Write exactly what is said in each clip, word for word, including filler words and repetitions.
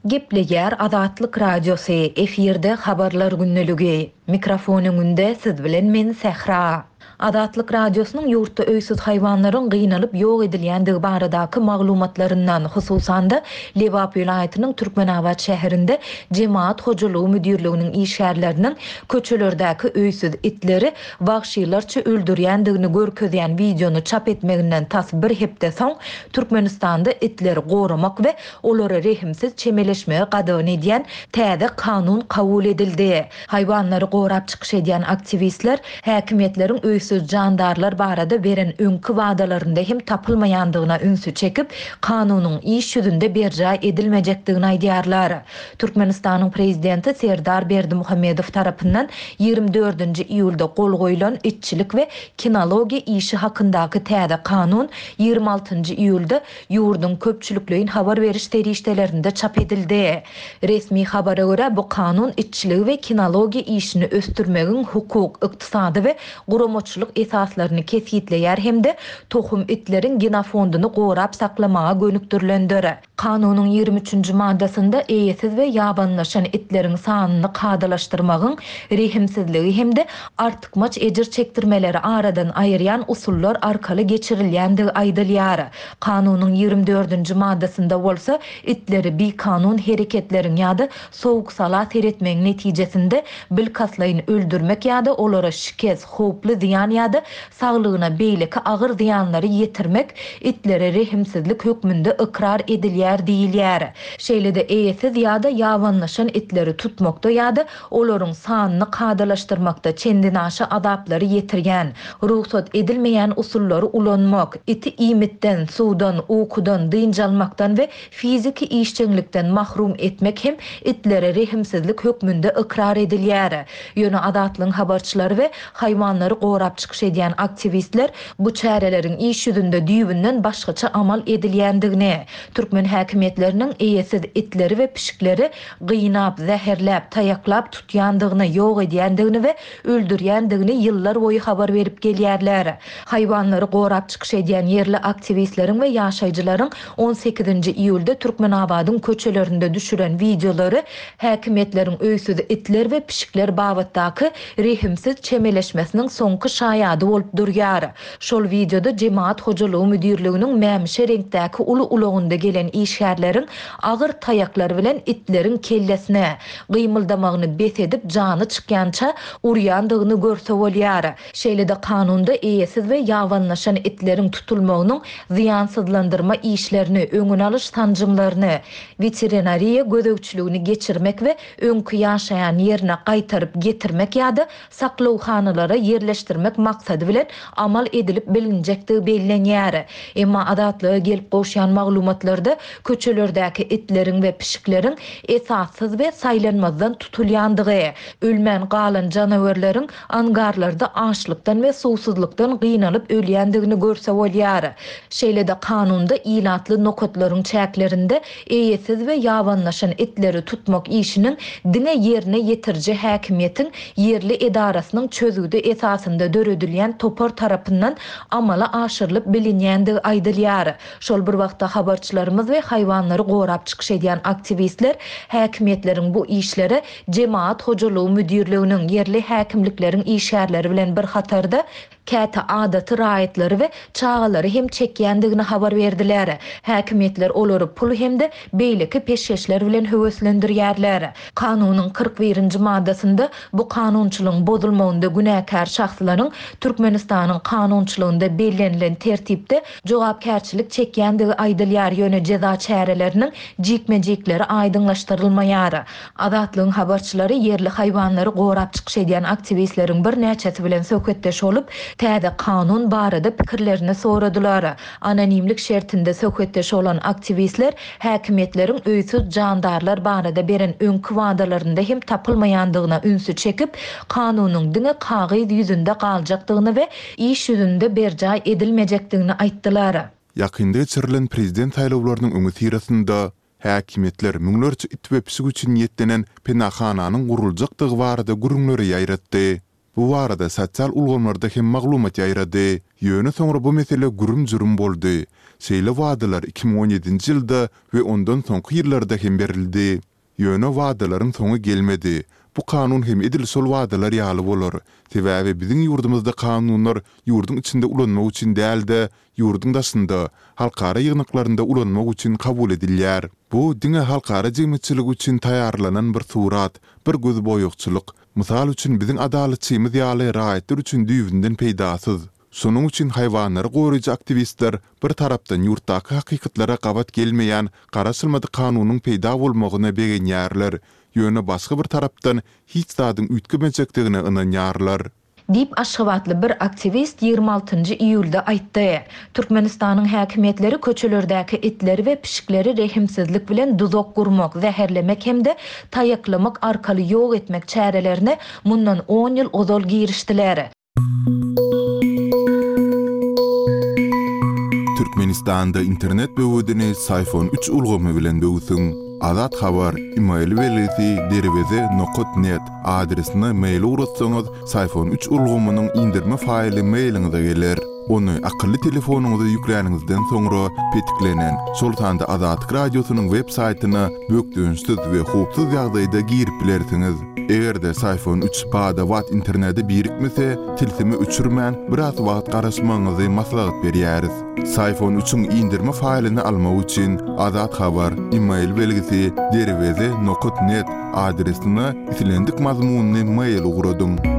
Gepleýär Azatlyk Radiosy, efirde Habarlar gündeligi. Mikrofon öňünde siz bilen men Sähra. Azatlyk Radiosynyň ýurtda öýsüz haýwanlaryň gynalyp ýok edilýändigi baradaky maglumatlaryndan, hususan-da, Lebap welaýatynyň Türkmenabat şäherinde Jemagat hojalygy müdirliginiň işgärleriniň köçelerdäki öýsüz itleri wagşylarça öldürýändigini görkezýän wideony çap etmeginden tas bir hepde soň Türkmenistanda itleri goramak we olara rehimsiz çemeleşmegi gadagan edýän täze kanun kabul edildi. Haýwanlary gorap çykyş edýän aktiwistler häkimiýetleriň öýsüz jandarlar barada beren öňki wadalarynda hem tapylmaýandygyna ünsi çekip, kanunyň iş ýüzünde berjaý edilmejekdigini aýdýarlar. Türkmenistanyň prezidenti Serdar Berdimuhamedow tarapyndan ýigrimi dördünji iýulda gol goýlan itçilik we kinologiýa işi hakyndaky täze kanun ýigrimi altynjy iýulda ýurduň köpçülikleýin habar beriş serişdelerinde çap edildi. Resmi habara görä, bu kanun itçiligi we kinologiýa işini ösdürmegiň hukuk, ykdysady we guramaçylyk esaslaryny kesgitleýär hem-de tohum itleriň genofondyny gorap saklamaga gönükdirilendir. Kanunyň ýigrimi üçünji maddasynda eýesiz we ýabanylaşan itleriň sanyny kadalaşdyrmagyň rehimsizligi hem-de artykmaç ejir çekdirmeleri aradan aýyrýan usullar arkaly geçirilýändigi aýdylýar. Kanunyň ýigrimi dördünji maddasynda bolsa itleri bikanun hereketleriň ýa-da sowuk-sala seretmegiň netijesinde bilkastlaýyn öldürmek ýa-da olara şikes, howply zyýan ýa-da saglygyna beýleki agyr zyýanlary ýetirmek itlere rehimsizlik hökmünde ykrar edilýär diýilýär. Şeýle-de eýesiz ýa-da ýabanylaşan itleri tutmakda ýa-da olaryň sanyny kadalaşdyrmakda çendenaşa azaplary ýetirýän, rugsat edilmeýän usullary ulanmak, iti iýmitden, suwdan, ukudan, dynç almakdan we fiziki işjeňlikden mahrum etmek hem itlere rehimsizlik hökmünde ykrar edilýär. Ýöne Azatlygyň habarçylary we haýwanlary gorap çykyş edýän aktiwistler bu çäreleriň iş ýüzünde düýbünden başgaça amal edilýändigini, türkmen häkimiýetleriniň eýesiz itleri we pişikleri gynap, zäherläp, taýaklap tutýandygyny, ýok edýändigini we öldürýändigini ýyllar boýy habar berip gelýärler. Haýwanlary gorap çykyş edýän ýerli aktiwistleriň we ýaşaýjylaryň on sekizinji iýulda Türkmenabadyň köçelerinde düşüren wideolary häkimiýetleriň öýsüz itler we pişikler babatdaky rehimsiz çemeleşmesiniň soňky şaýady bolup durýar. Şol wideoda Jemagat hojalygy müdirliginiň mämişi reňkdäki uly ulagynda gelen işgärleriň agyr taýaklar bilen itleriň kellesine, gymyldamagyny bes edip jany çykýança urýandygyny görse bolýar. Şeýle-de kanunda eýesiz we ýabanylaşan itleriň tutulmagynyň zyýansyzlandyrma işlerini, öňüni alyş sanjymlaryny, weterinariýa gözegçiligini geçirmek we öňki ýaşaýan ýerine gaýtaryp getirmek ýa-da saklawhanalara ýerleşdirmek maksady bilen amal edilip bilinjekdigi bellenýär. Emma Azatlyga gelip gowşan maglumatlarda köçelerdäki itleriň we pişikleriň esassyz we saýlanmazdan tutulýandygy, ölmän galan janawerleriň angarlarda açlykdan we suwsuzlykdan gynalyp ölýändigini görse bolýar. Şeýle-de kanunda ilatly nokatlaryň çäklerinde eýesiz we ýabanylaşan itleri tutmak işiniň diňe ýerine ýetiriji häkimiýetiň ýerli edarasynyň çözgüdi esasynda döredilýän topar tarapyndan amala aşyrylyp bilinýändigi aýdylýar. Şol bir wagtda habarçylarymyz we haýwanlary gorap çykyş edýän aktiwistler häkimiýetleriň bu işlere Jemagat hojalygy müdirliginiň, ýerli häkimlikleriň işgärleri bilen bir hatarda käte adaty raýatlary we çagalary hem çekýändigini habar berdiler. Häkimiýetler olary pul hem-de beýleki peşgeşler bilen höweslendirýärler. Kanunyň kyrk birinji maddasynda bu kanunçylygyň bozulmagynda günäkär şahslaryň Türkmenistanyň kanunçylygynda bellenilen tertipde jogapkärçilik çekýändigi aýdylýar, ýöne jeza çäreleriniň jikme-jikleri aýdyňlaşdyrylmaýar. Azatlygyň habarçylary ýerli haýwanlary gorap çykyş edýän aktiwistleriň birnäçesi bilen söhbetdeş bolup, täze kanun barada pikirlerini soradylar. Anonimlik şertinde söhbetdeş bolan aktiwistler häkimiýetleriň öýsüz jandarlar barada beren öňki wadalarynda hem tapylmaýandygyna ünsi çekip, kanunyň diňe kagyz ýüzünde galjakdygyny we iş ýüzünde berjaý edilmejekdigini aýtdylar. Ýakynda geçirilen prezident saýlawlarynyň öňüsyrasynda häkimiýetler müňlerçe it we pişik üçin niýetlenen penahananyň guruljakdygy barada gürrüňleri ýaýratdy. Bu barada sosial ulgamlarda hem maglumat ýaýrady. Ýöne soňra bu mesele gürüm-jürüm boldy. Şeýle wadalar iki müň on ýedinji ýylda we ondan soňky ýyllarda hem berildi. Ýöne wadalaryň soňy gelmedi. Bu kanun hem edil şol wadalar ýaly bolar. Sebäbi biziň ýurdumyzda kanunlar ýurduň içinde ulanmak üçin däl-de, ýurduň daşynda, halkara ýygnaklarynda ulanmak üçin kabul edilýär. Bu diňe halkara jemgyýetçiligi üçin taýýarlanan bir surat, bir gözboýagçylyk. Mysal üçin, biziň adalatçymyz ýaly raýatlar üçin düýbünden peýdasyz. Şonuň üçin haýwanlary goraýjy aktiwistler bir tarapdan ýurtdaky hakykatlara gabat gelmeýän garaşylmadyk kanunyň peýda bolmagyna begenýärler, ýöne başga bir tarapdan hiç zadyň üýtgemejekdigine ynanýarlar. Diýip, aşgabatly bir aktiwist ýigrimi altynjy iýulda aýtdy. Türkmenistanyň häkimiýetleri köçelerdäki itleri we pişikleri rehimsizlik bilen duzak gurmak, zäherlemek hem-de taýaklamak arkaly ýok etmek çärelerine mundan on ýyl ozal girişdiler. Türkmenistanda internet böwedini Syfon üç ulgamy bilen böwsüň. Azat Habar, email belgisi derweze nokat net adresine mail ugratsaňyz, Syfon üç ulgamynyň indirme faýly mailiňize geler. Ony akylly telefonyňyza ýükläniňizden soňra petiklenen, şol sanda Azatlyk Radiosynyň web saýtyna bökdençsiz we howpsuz ýagdaýda girip bilersiňiz. Eger-de Syfon üç bada-bat internete birikmese, tilsimi öçürmän, biraz wagt garaşmagyňyzy maslahat berýäris. Syfon üçiň indirme faýlyny almak üçin Azat Habar, email belgisi derweze nokat net adresine islendik mazmunly mail ugradyň.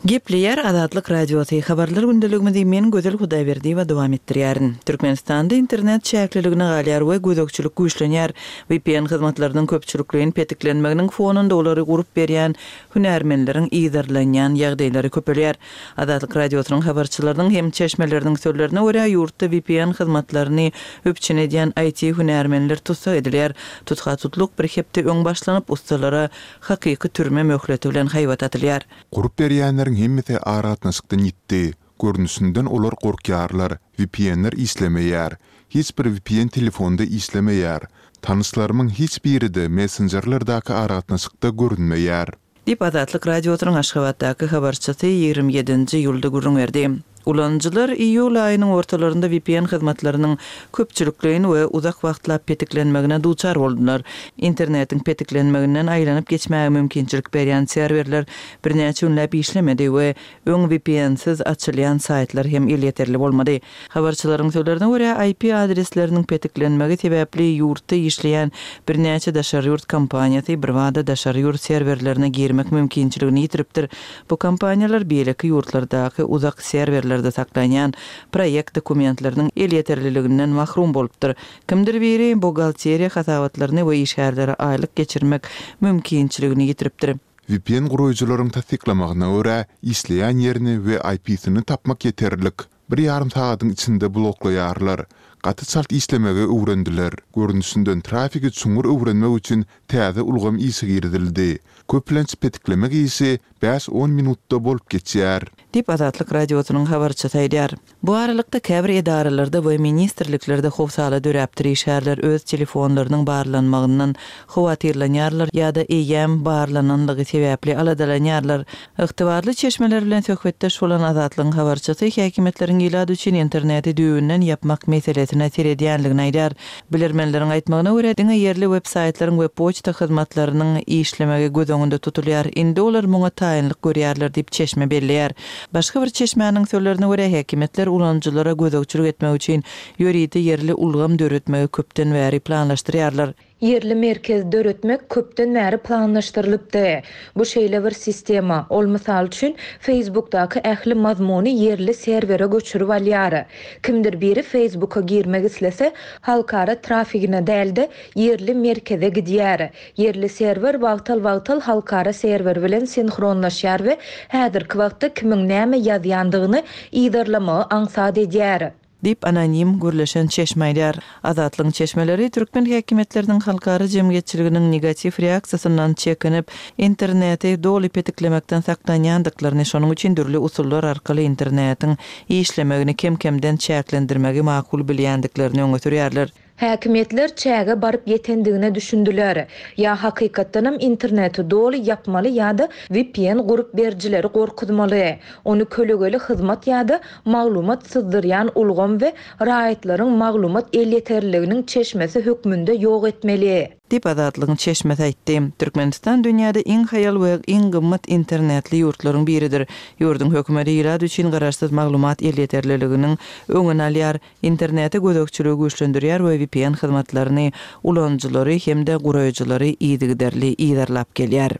Gepleýär Azatlyk Radiosy habarlar gündeligimizi men Gözel Hudaýberdiýewa dowam etdirýärin. Türkmenistanda internet çäkliligine galýar we gözegçilik güýçlenýär. V P N hyzmatlarynyň köpçülikleýin petiklenmeginiň fonunda olary gurup berýän hünärmenleriň yzarlanýan ýagdaýlary köpelýär. Azatlyk Radiosynyň habarçylarynyň hem çeşmeleriniň sözlerine görä ýurtda V P N hyzmatlaryny üpjün edýän I T hünärmenler tutsak edilýär. Tutha tutluk bir hepde öň başlanyp ustalara hakyky türme möhleti bilen haýbat atylýar. Gurup berýänleriň hemmesi aragatnaşykdan ýitdi. Görnüşinden olar gorkýarlar. V P N-ler işlemeýär. Hiç bir V P N telefonda işlemeýär. Tanyşlarymyň hiç biri-de messenjerlerdäki aragatnaşykda görünmeýär. Diýip Azatlyk Radiosynyň Aşgabatdaky habarçysy ýigrimi ýedinji iýulda gürrüň berdi. Ulanyjylar iýul aýynyň ortalarynda V P N hyzmatlarynyň köpçülikleýin we uzak wagtlap petiklenmegine duçar boldular. Internetiň petiklenmeginden aýlanyp geçmäge mümkinçilik berýän serwerler birnäçe günläp işlemedi we öň V P N-siz açylýan saýtlar hem elýeterli bolmady. Habarçylaryň sözlerine görä I P adresleriniň petiklenmegi sebäpli ýurtda işleýän birnäçe daşary ýurt kompaniýasy birbada daşary ýurt serwerlerine girmek mümkinçiligini ýitiripdir. Bu kompaniýalar beýleki ýurtlardaky uzak serwerlerde saklanýan proýekt dokumentleriniň elýeterliliginden mahrum bolupdyr. Kimdir biri buhgalteriýa hasabatlaryny we işgärlere aýlyk geçirmek mümkinçiligini ýitiripdir. V P N gurujylaryň tassyklamagyna görä işleýän ýerini we I P-sini tapmak ýeterlik. Bir ýarym sagatyň içinde bloklaýarlar. Gaty çalt işlemegi öwrendiler. Görnüşinden trafiki çuňňur öwrenmek üçin täze ulgam işe girizildi. Köplenç petiklemek işi bäş-on minutda bolup geçýär. Diýip Azatlyk Radiosynyň habarçysy aýdýar. Bu aralykda käbir edaralarda we ministrliklerde howsala döräpdir. Işgärler öz telefonlarynyň barlanmagyndan howatyrlanýarlar ýa-da eýýäm barlananlygy sebäpli aladalanýarlar. Ygtybarly çeşmeler bilen söhbetdeş bolan Azatlygyň habarçysy häkimiýetleriň ilat üçin interneti düýbünden ýapmak meselesine seredýänligini aýdýar. Bilermenleriň aýtmagyna görä diňe ýerli web-saýtlaryň we poçta hyzmatlarynyň işlemegi göz öňünde tutulýar. Indi olar muňa taýynlyk görýärler diýip çeşme belleýär. Başga bir çeşmäniň sözlerine görä häkimiýetler ulanyjylara gözegçilik etmek üçin ýörite ýerli ulgam döretmegi köpden bäri planlaşdyrýarlar. Ýerli merkez döretmek köpden bäri planlaşdyrylypdy. Bu şeýle bir sistema, ol mysal üçin Facebookdaky ähli mazmuny ýerli serwere göçürip alýar. Kimdir biri Facebooka girmek islese, halkara trafigine dälde ýerli merkeze gidýär. Ýerli serwer wagtal-wagtal halkara serwer bilen sinhronlaşýar we häzirki wagtda kimiň näme ýazýandygyny yzarlamagy aňsat edýär. Diýip anonim gürleşen çeşme aýdar. Azatlygyň çeşmeleri türkmen häkimiýetleriniň halkara jemgyýetçiliginiň negatiw reaksiýasyndan çekinip, interneti doly petiklemekden saklanýandyklaryny, şonuň üçin dürli usullar arkaly internetiň işlemegini kem-kemden çäklendirmegi makul bilýändiklerini öňe sürýärler. Häkimiýetler çäge baryp ýetendigine düşündiler. Ýa hakykatdanam interneti doly ýapmaly ýa-da V P N gurup berijileri gorkuzmaly. Ony kölegeli hyzmat ýa-da maglumat syzdyrýan ulgam we raýatlaryň maglumat elýeterliliginiň çeşmesi hökmünde ýok etmeli. Diýip Azatlygyň çeşmesi aýtdy. Türkmenistan dünýäde iň haýal we iň gymmat internetli ýurtlaryň biridir. Ýurduň hökümeti ilat üçin garaşsyz maglumat elýeterliliginiň öňüni alýar, internete gözegçiligi güýçlendirýär we V P N hyzmatlaryny ulanyjylary hem-de guraýjylary yzygiderli yzarlap gelýär.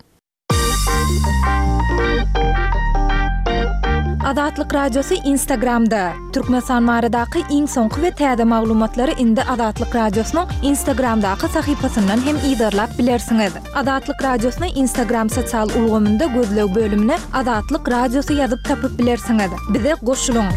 Azatlyk Radiosy Instagramda. Türkmenistan baradaky iň soňky we täze maglumatlary indi Azatlyk Radiosynyň Instagramdaky sahypasyndan hem yzarlap bilersiňiz. Azatlyk Radiosyny Instagram sosial ulgamynda gözleg bölümine Azatlyk Radiosy ýazyp tapyp bilersiňiz. Bize goşulyň.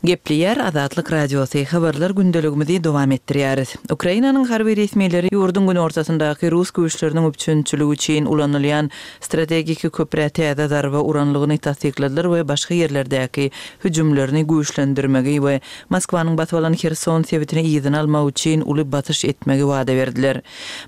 Gepleýär Azatlyk Radiosy, habarlar gündeligimizi dowam etdirýäris. Ukrainanyň harby resmileri ýurduň günortasyndaky rus güýçleriniň üpjünçiligi üçin ulanylýan strategik köprä täze zarba uranlygyny tassykladylar we başga ýerlerdäki hüjümlerini güýçlendirmegi we Moskwanyň basyp alan Herson sebitini yzyna almak üçin uly basyş etmegi wada berdiler.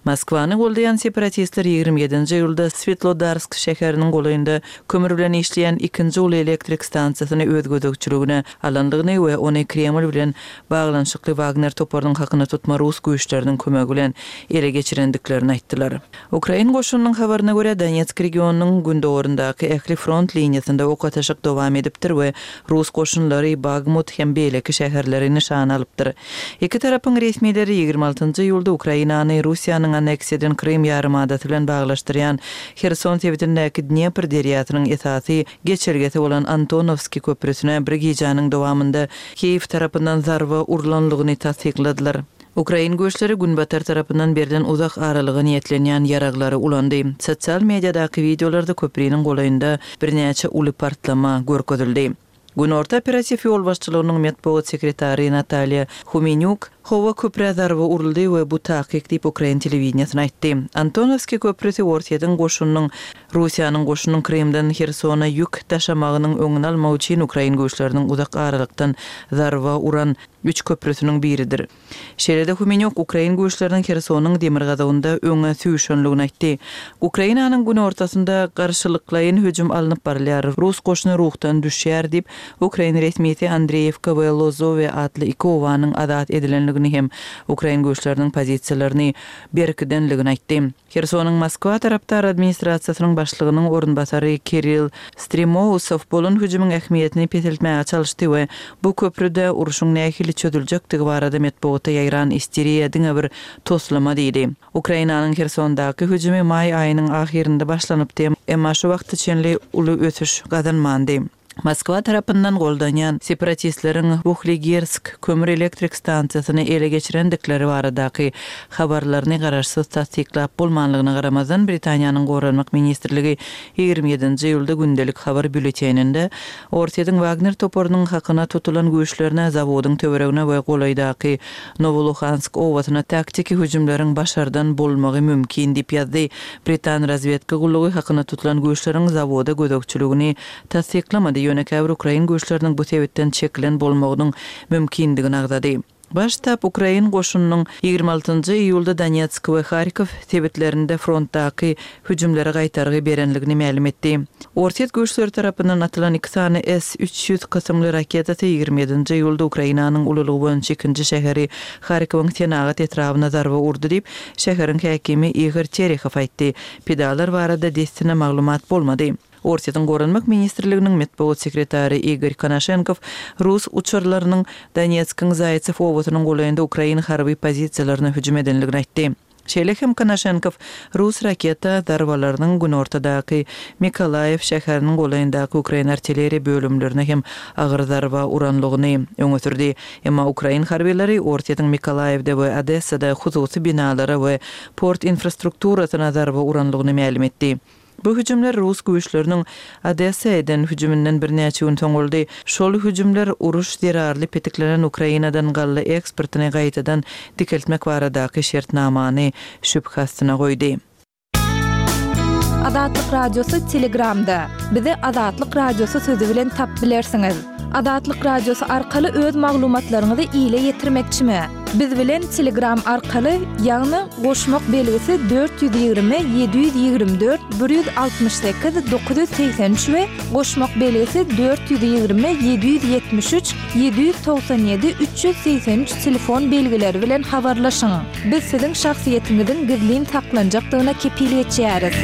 Moskwany goldaýan separatistler ýigrimi ýedinji iýulda Svetlodarsk şäheriniň golaýynda kömür bilen işleýän ikinji uly elektrik stansiýasyny öz gözegçiligine alandygyny we ony Kreml bilen baglanyşykly Wagner toparynyň hakyna tutma rus güýçleriniň kömegi bilen ele geçirendiklerini aýtdylar. Ukrain goşunynyň habaryna görä, Donetsk regionynyň gündogaryndaky ähli front liniýasynda ok atyşyk dowam edipdir we rus goşunlary Bagmut hem beýleki şäherleri nyşana alypdyr. Iki tarapyň resmileri ýigrimi altynjy iýulda Ukrainany Russiýanyň anneksiýa eden Krym ýarymadasy bilen baglaşdyrýan Herson sebitindäki Dnepr derýasynyň esasy geçelgesi bolan Antonovski köprüsine bir gijäniň dowamynda Kiýew tarapyndan zarba urlanlygyny tassykladylar. Ukrain güýçleri günbatar tarapyndan berlen uzak aralyga niýetlenýän ýaraglary ulandy. Sosial mediadaky wideolarda köpriniň golaýynda birnäçe uly partlama görkezildi. Günorta operatiw ýolbaşçylygynyň metbugat sekretary Natalýa Humenýuk howa köprä zarba uruldy we bu takyk diýip ukrain telewideniýesine aýtdy. Antonovski köprüsi Orsýetiň goşunynyň Russiýanyň goşunynyň Krymdan Hersona ýük daşamagynyň öňüni almak üçin ukrain güýçleriniň uzak aralykdan zarba uran üç köprüsiniň biridir. Şeýle-de Humenýuk ukrain güýçleriniň Hersonyň demirgazygynda öňe süýşenligini aýtdy. Ukrainanyň günortasynda garşylyklaýyn hüjüm alnyp barylýar. Rus goşuny ruhdan düşýär diýip, ukrain resmisi Andreýewka we Lozowe atly iki obanyň azat edilenligini hem ukrain güýçleriniň pozisiýalaryny berkidenligini aýtdy. Hersonyň Moskwa tarapdar administrasiýasynyň başlygynyň orunbasary Kirill Stremousow bolan hüjümiň ähmiýetini peseltmäge çalyşdy we bu köprüde urşuň nähili çözüljekdigi barada metbugatda ýaýran isteriýa diňe bir toslama diýdi. Ukrainanyň Hersondaky hüjümi maý aýynyň ahyrynda başlanypdy, emma şu wagta çenli uly ösüş gazanmandy. Moskwa tarapyndan goldanýan separatistleriň Wuhligersk kömür elektrik stansiýasyny ele geçirendikleri baradaky habarlaryny garaşsyz tassyklap bolmanlygyna garamazdan, Britaniýanyň Goranmak ministrligi ýigrimi ýedinji iýulda gündelik habar býulleteninde Orsýetiň Wagner toparynyň hakyna tutulan güýçlerine zawodyň töweregine we golaýdaky Nowoluhansk obasyna taktiki hüjümleriň başardan bolmagy mümkin diýip ýazdy. Britan razwedka gullugy hakyna tutulan güýçleriň zawoda gözegçiligini tassyklamady, ýöne käbir ukrain güýçleriniň bu sebitden çekilen bolmagynyň mümkindigini agzady. Baş ştab ukrain goşunynyň ýigrimi altynjy iýulda Donetsk we Harkov sebitlerinde frontdaky hüjümlere gaýtargy berenligini mälim etdi. Orsýet güýçleri tarapyndan atylan iki sany S üç ýüz kysymly raketasy ýigrimi ýedinji iýulda Ukrainanyň ululygy boýunça ikinji şäheri Harkowyň senagat etrabyna zarba urdy diýip, şäheriň häkimi Igor Terehow aýtdy. Pidalar barada dessine maglumat bolmady. Orsýetiň Goranmak ministrliginiň metbugat sekretary Igor Konaşenkow rus uçarlarynyň Donetskiň Zaýtsew obasynyň golaýynda ukrain harby pozisiýalaryna hüjüm edenligini aýtdy. Şeýle hem Konaşenkow rus raketa zarbalarynyň günortadaky Mikolaýew şäheriniň golaýyndaky ukrain artilleriýa bölümlerine hem agyr zarba uranlygyny öňe sürdi. Emma ukrain harbylary Orsýetiň Mikolaýewde we Odessada hususy binalara we port infrastrukturasyna zarba uranlygyny mälim etdi. Bu hüjümler rus güýçleriniň Odessa eden hüjüminden birnäçe gün soň boldy. Şol hüjümler uruş zerarly petiklenen Ukrainadan galla eksportyny gaýtadan dikeltmek baradaky şertnamany şübhe astyna goýdy. Azatlyk Radiosy Telegramda. Bizi Azatlyk Radiosy sözi bilen tapyp bilersiňiz. Azatlyk Radiosy arkaly öz maglumatlaryňyzy ile ýetirmekçimi? Biz bilen Telegram arkaly, ýagny goşmak belgisi dört ýüz ýigrimi ýedi ýüz ýigrimi dört bir ýüz altmyş sekiz dokuz ýüz segsen üç we goşmak belgisi dört ýüz ýigrimi ýedi ýüz ýetmiş üç ýedi ýüz togsan ýedi üç ýüz segsen üç telefon belgileri bilen habarlaşyň. Biz siziň şahsyýetiňiziň gizlin saklanjakdygyna kepil geçýäris.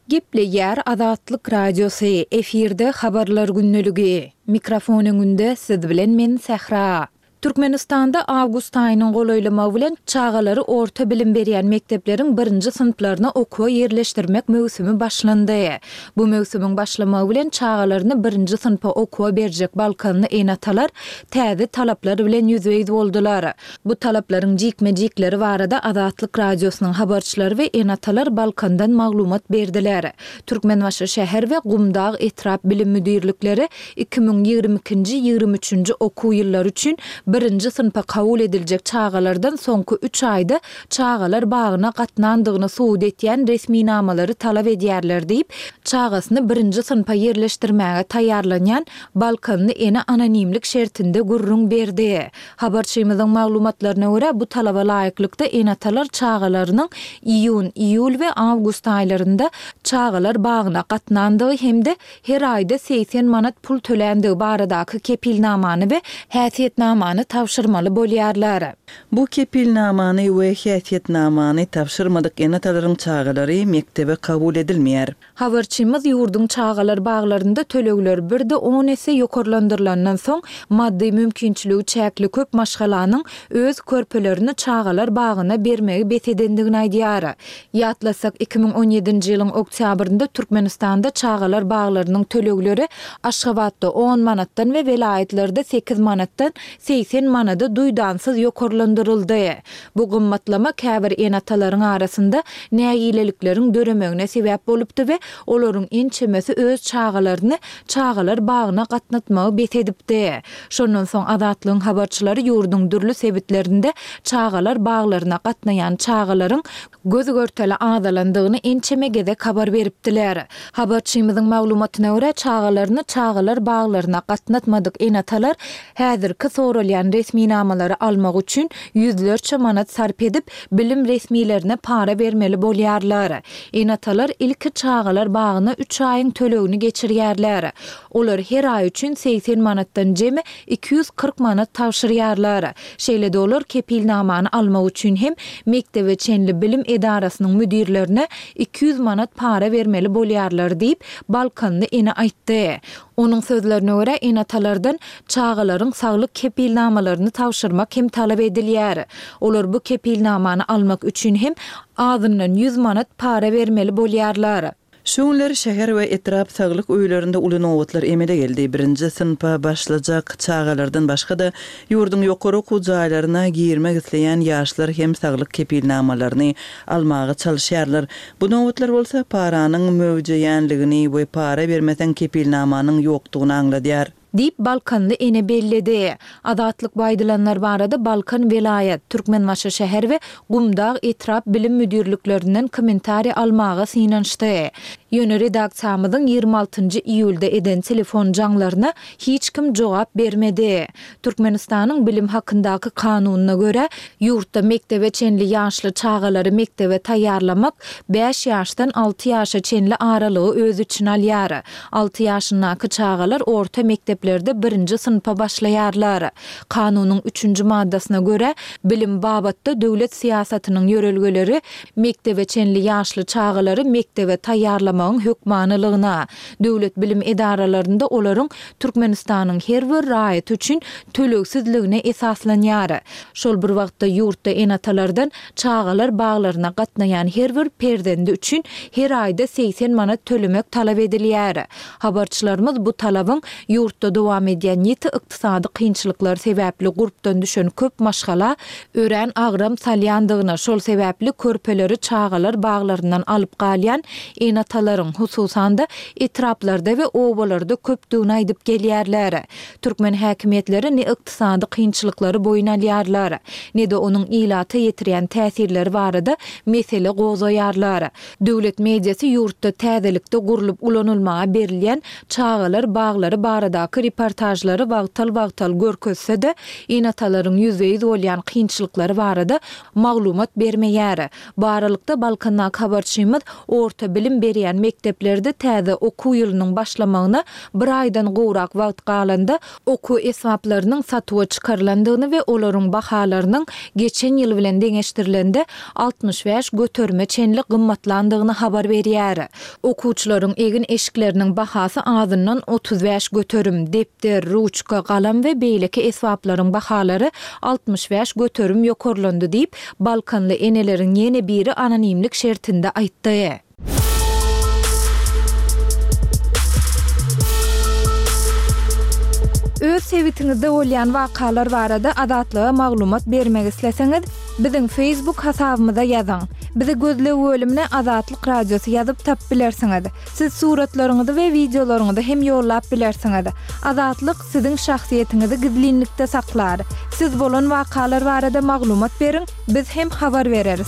Gepleýär Azatlyk Radiosy, efirde Habarlar gündeligi. Mikrofon öňünde siz bilen men Sähra. Türkmenistanda awgust aýynyň golaýlamagy bilen çagalary orta bilim berýän mekdepleriň birinji synplaryna okuwa ýerleşdirmek möwsümi başlandy. Bu möwsümiň başlamagy bilen çagalaryny birinji synpa okuwa berjek balkanly ene-atalar täze talaplar bilen ýüzbe-ýüz boldular. Bu talaplaryň jikme-jikleri barada Azatlyk Radiosynyň habarçylary we ene-atalar Balkandan maglumat berdiler. Türkmenbaşy şäher we Gumdag etrap bilim müdirlikleri iki müň ýigrimi ikinji, ýigrimi üçünji okuw ýyllary üçin birinji synpa kabul ediljek çagalardan soňky üç aýda çagalar bagyna gatnandygyny subut etýän resminamalary talap edýärler diýip, çagasyny birinji synpa ýerleşdirmäge taýýarlanýan balkanly ene anonimlik şertinde gürrüň berdi. Habarçymyzyň maglumatlaryna görä, bu talaba laýyklykda ene-atalar çagalarynyň iýun, iýul we awgust aýlarynda çagalar bagyna gatnandygy hem-de her aýda segsen manat pul töländigi baradaky kepilnamany we häsiýetnamany tabşyrmaly bolýarlar. Bu kepilnamany we häsiýetnamany tabşyrmadyk ene-atalaryň çagalary mekdebe kabul edilmeýär. Habarçymyz ýurduň çagalar baglarynda tölegler bir-de on esse ýokarlandyrylandan soň, maddy mümkinçiligi çäkli köp maşgalanyň öz körpelerini çagalar bagyna bermegi bes edendigini aýdýar. Ýatlasak, iki müň on ýedinji ýylyň oktýabrynda Türkmenistanda çagalar baglarynyň tölegleri Aşgabatda on manatdan we welaýatlarda sekiz manatdan segsen manada duýdansyz ýokarlandyryldy. Bu gymmatlama käbir ene-atalaryň arasynda nägilelikleriň döremegine sebäp bolupdy we olaryň ençemesi öz çagalaryny çagalar bagyna gatnatmagy bes edipdi. Şondan soň Azatlygyň habarçylary ýurduň dürli sebitlerinde çagalar baglaryna gatnaýan çagalaryň göz-görtele azalandygyny ençeme gezek habar beripdiler. Habarçymyzyň maglumatyna görä, çagalaryny çagalar baglaryna gatnatmadyk ene-atalar häzirki soralýan resminamalary almak üçin ýüzlerçe manat sarp edip, bilim resmilerine para bermeli bolýarlar. Ene-atalar ilki çagalar bagyna üç aýyň tölegini geçirýärler. Olar her aý üçin segsen manatdan jemi iki ýüz kyrk manat tabşyrýarlar. Şeýle-de olar kepilnamany almak üçin hem mekdebe çenli bilim edarasynyň müdirlerine iki ýüz manat para bermeli bolýarlar diýip, balkanly ene aýtdy. Onuň sözlerine görä, ene-atalardan çagalaryň saglyk kepilnamalaryny tabşyrmak hem talap edilýär. Olar bu kepilnamany almak üçin hem azyndan ýüz manat para bermeli bolýarlar. Şu günler şäher we etrap saglyk öýlerinde uly nobatlar emele geldi. Birinji synpa başlajak çagalardan başga-da, ýurduň ýokary okuw jaýlaryna girmek isleýän ýaşlar hem saglyk kepilnamalaryny almaga çalyşýarlar. Bu nobatlar bolsa paranyň möwjeýänligini we para bermeseň kepilnamanyň ýokdugyny aňladýar. Diýip, balkanly ene belledi. Azatlyk bu aýdylanlar barada Balkan welaýat, Türkmenbaşy şäher we Gumdag etrap bilim müdirliklerinden kommentariý almaga synanyşdy. Ýöne redaksiýamyzyň ýigrimi altynjy iýulda eden telefon jaňlaryna hiç kim jogap bermedi. Türkmenistanyň Bilim hakyndaky kanunyna görä, ýurtda mekdebe çenli ýaşly çagalary mekdebe taýýarlamak bäş ýaşdan alty ýaşa çenli aralygy öz içine alýar. Alty ýaşyndaky çagalar orta mekdeplerde birinji synpa başlaýarlar. Kanunyň üçünji maddasyna görä, bilim babatda döwlet syýasatynyň ýörelgeleri mekdebe çenli ýaşly çagalary mekdebe taýýarlamagyň hökmanylygyna, döwlet bilim edaralarynda olaryň Türkmenistanyň her bir raýaty üçin tölegsizligine esaslanýar. Şol bir wagtda ýurtda ene-atalardan çagalar baglaryna gatnaýan her bir perzendi üçin her aýda segsen manat tölemek talap edilýär. Habarçylarymyz bu talabyň ýurtda dowam edýän ýiti ykdysady kynçylyklar sebäpli gurpdan düşen köp maşgala örän agram salýandygyny, şol sebäpli körpeleri çagalar baglaryndan alyp galýan ene-atalaryň, hususan-da, etraplarda we obalarda köpdügini aýdyp gelýärler. Türkmen häkimiýetleri ne ykdysady kynçylyklary boýun alýarlar, ne-de onuň ilata ýetirýän täsirleri barada mesele gozgaýarlar. Döwlet mediasy ýurtda täzelikde gurlup ulanylmaga berilýän çagalar baglary baradaky reportažlary wagtal-wagtal görkezse-de, ene-atalaryň ýüzbe-ýüz bolýan kynçylyklary barada maglumat bermeýär. Bu aralykda, Balkandaky habarçymyz orta bilim berýän mekdeplerde täze okuw ýylynyň başlamagyna bir aýdan gowrak wagt galanda, okuw esbaplarynyň satuwa çykarylandygyny we olaryň bahalarynyň geçen ýyl bilen deňeşdirilende altmyş bäş göterime çenli gymmatlandygyny habar berýär. Okuwçylaryň egin-eşikleriniň bahasy azyndan otuz bäş göterim, depder, ruçka, galam we beýleki esbaplaryň bahalary altmyş bäş göterim ýokarlandy diýip, balkanly eneleriň ýene biri anonimlik şertinde aýtdy. Öz sebitiňizde bolýan wakalar barada Azatlyga maglumat bermek isleseňiz, biziň Facebook hasabymyza ýazyň. Bizi gözleg bölümine Azatlyk Radiosy ýazyp tapyp bilersiňiz. Siz suratlaryňyzy we wideolaryňyzy hem ýollap bilersiňiz. Azatlyk siziň şahsyýetiňizi gizlinlikde saklar. Siz bolan wakalar barada maglumat beriň, biz hem habar bereris.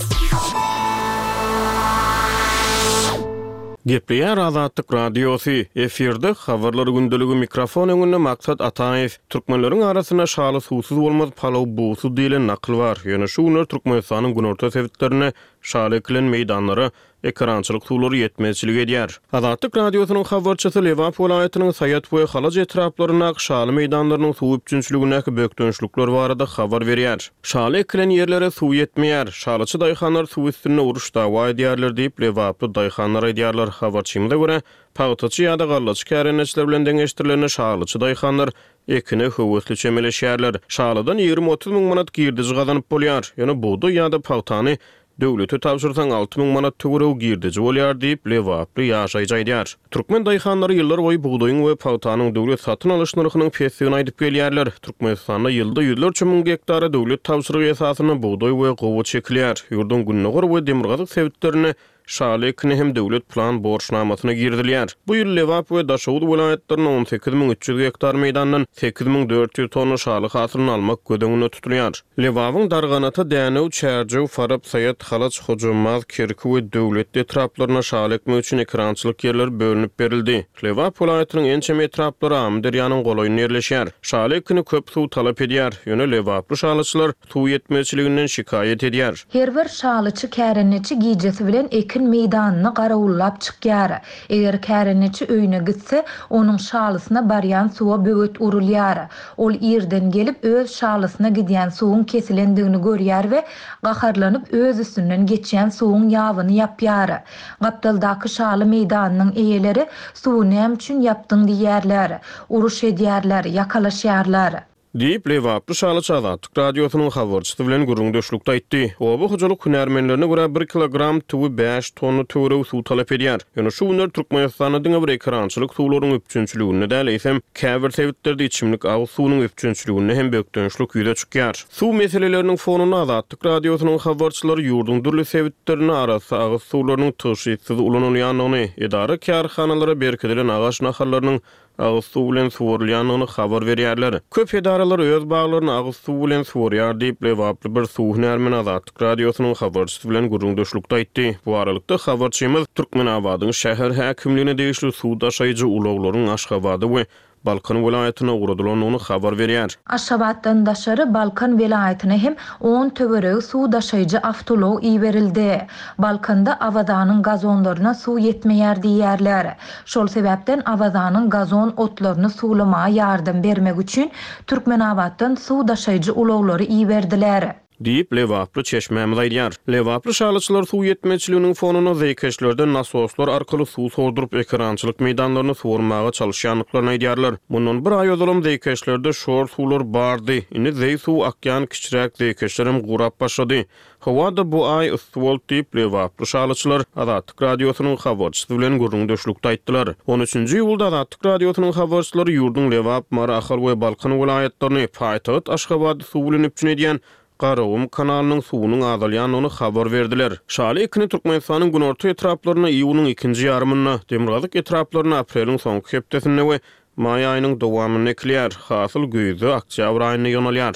Gepleýär Azatlyk Radiosy, efirde Habarlar gündeligi, mikrofon öňünde Maksat Ataýew. Türkmenleriň arasynda şaly suwsuz bolmaz, palaw bugsuz diýlen nakyl bar. Ýöne şu günler Türkmenistanyň günorta sebitlerinde şaly ekilen meýdanlara ekerançylyk suwlary ýetmezçilik edýär. Azatlyk Radiosynyň habarçysy Lebap welaýatynyň Saýat we Halaç etraplaryndaky şaly meýdanlarynyň suw üpjünçiligindäki bökdençlikler barada habar berýär. Şaly ekilen ýerlere suw ýetmeýär. Şalyçy daýhanlar suw üstünde uruş dawa edýärler diýip, lebaply daýhanlar aýdýarlar. Habarçymyza görä, pagtaçy ýa-da gallaçy kärendeçiler bilen deňeşdirilende şalyçy daýhanlar ekine höwesli çemeleşýärler. Şalydan ýigrimi-otuz müň manat girdeji gazanyp bolýar. Ýöne bugdaý ýa-da pagtany döwlete tabşyrsaň alty müň manat töweregi girdeji bolýar diýip, lebaply ýaşaýjy aýdýar. Türkmen daýhanlary ýyllar boýy bugdaýyň we pagtanyň döwlet satyn alyş nyrhynyň pesdigini aýdyp gelýärler. Türkmenistanda ýylda ýüzlerçe müň gektara döwlet tabşyrygy esasynda bugdaý we gowaça ekilýär. Ýurduň gündogar we demirgazyk sebitlerinde şaly ekini hem döwlet plan borçnamasyna girizilýär. Bu ýyl Lebap we Daşoguz welaýatlarynda on sekiz müň üç ýüz gektar meýdandan sekiz müň dört ýüz tonna şaly hasylyny almak göz öňünde tutulýar. Lebabyň Darganata, Dänew, Çärjew, Farap, Saýat, Halaç, Hojambaz, Kerki we Döwletli etraplaryna şaly ekmek üçin ekerançylyk ýerleri bölünip berildi. Lebap welaýatynyň ençeme etraplary Amyderýanyň golaýynda ýerleşýär. Şaly ekini köp suw talap edýär. Ýöne lebaply şalyçylar suw ýetmezçiliginden şikaýat edýär. Her bir şalyçy kärendeçi gijesi bilen ekin meýdanyny garawullap çykýar. Eger kärendeçi öýüne gitse, onuň şalysyna barýan suwa böwet urulýar. Ol irden gelip öz şalysyna gidýän suwuň kesilendigini görýär we gaharlanyp öz üstünden geçýän suwuň ýabyny ýapýar. Gapdaldaky şaly meýdanynyň eýeleri suwy näme üçin ýapdyň diýýärler. Uruş edýärler, ýakalaşýarlar. Diýip, lebaply şalyçy Azatlyk Radiosynyň habarçysy bilen gürrüňdeşlikde aýtdy. Oba hojalyk hünärmenlerine görä bir kilogram tüwi bäş tonna töweregi suw talap edýär. Ýöne şu günler Türkmenistanda diňe bir ekerançylyk suwlaryň üpjünçiliginde däl, eýsem käbir sebitlerde içimlik agyz suwunyň üpjünçiliginde hem bökdençlik ýüze çykýar. Suw meseleleriniň fonunda Azatlyk Radiosynyň habarçylary ýurduň dürli sebitlerinde arassa agyz suwlarynyň tygşytsyz ulanylýandygyny, edara-kärhanalara berkidilen agaç nahallarynyň agyz suw bilen suwarylýandygyny habar berýärler. Köp edaralar öz baglaryny agyz suw bilen suwarýar diýip, lebaply bir suw hünärmeni Azatlyk Radiosynyň habarçysy bilen gürrüňdeşlikde aýtdy. Bu aralykda habarçymyz Türkmenabadyň şäher häkimligine degişli suw daşaýjy ulaglaryň Aşgabada we Balkan welaýatyna ugradylandygyny habar berýär. Aşgabatdan daşary Balkan welaýatyna hem on töweregi suw daşaýjy awtoulag iberildi. Balkanda Awazanyň gazonlaryna suw ýetmeýär diýýärler. Şol sebäpden Awazanyň gazon otlaryny suwlamaga ýardam bermek üçin Türkmenabatdan suw daşaýjy ulaglary iberdiler. Diýip, lebaply çeşmämiz aýdýar. Lebaply şalyçylar suw ýetmezçiliginiň fonunda zeýkeşlerden nasoslar arkaly suw sorduryp, ekerançylyk meýdanlaryny suwarmaga çalyşýandyklaryny aýdýarlar. Mundan bir aý ozalam zeýkeşlerde şor suwlar bardy. Indi zeý suw akýan kiçiräk zeýkeşlerem gurap başlady. Howa-da bu aý yssy boldy diýip, lebaply şalyçylar Azatlyk Radiosynyň habarçysy bilen gürrüňdeşlikde aýtdylar. On üçünji iýulda Azatlyk Radiosynyň habarçylary ýurduň Lebap, Mary, Ahal we Balkan welaýatlaryny, paýtagt Aşgabady suw bilen üpjün edýän Garagum kanalynyň suwunyň azalýandygyny habar berdiler. Şaly ekini Türkmenistanyň günorta etraplarynda iýunyň ikinji ýarymynda, demirgazyk etraplarynda apreliň soňky hepdesinde we maý aýynyň dowamynda ekilýär. Hasyl güýzde, oktýabr aýynda ýygnalýar.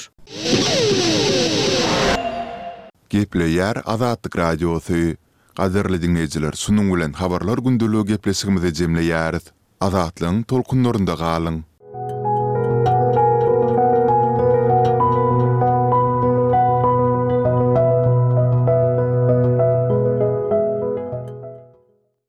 Gepleýär Azatlyk Radiosy. Gadyrly diňleýjiler şunuň bilen Habarlar gündeligi gepleşigimizi jemleýäris. Azatlygyň tolkunlarynda galyň!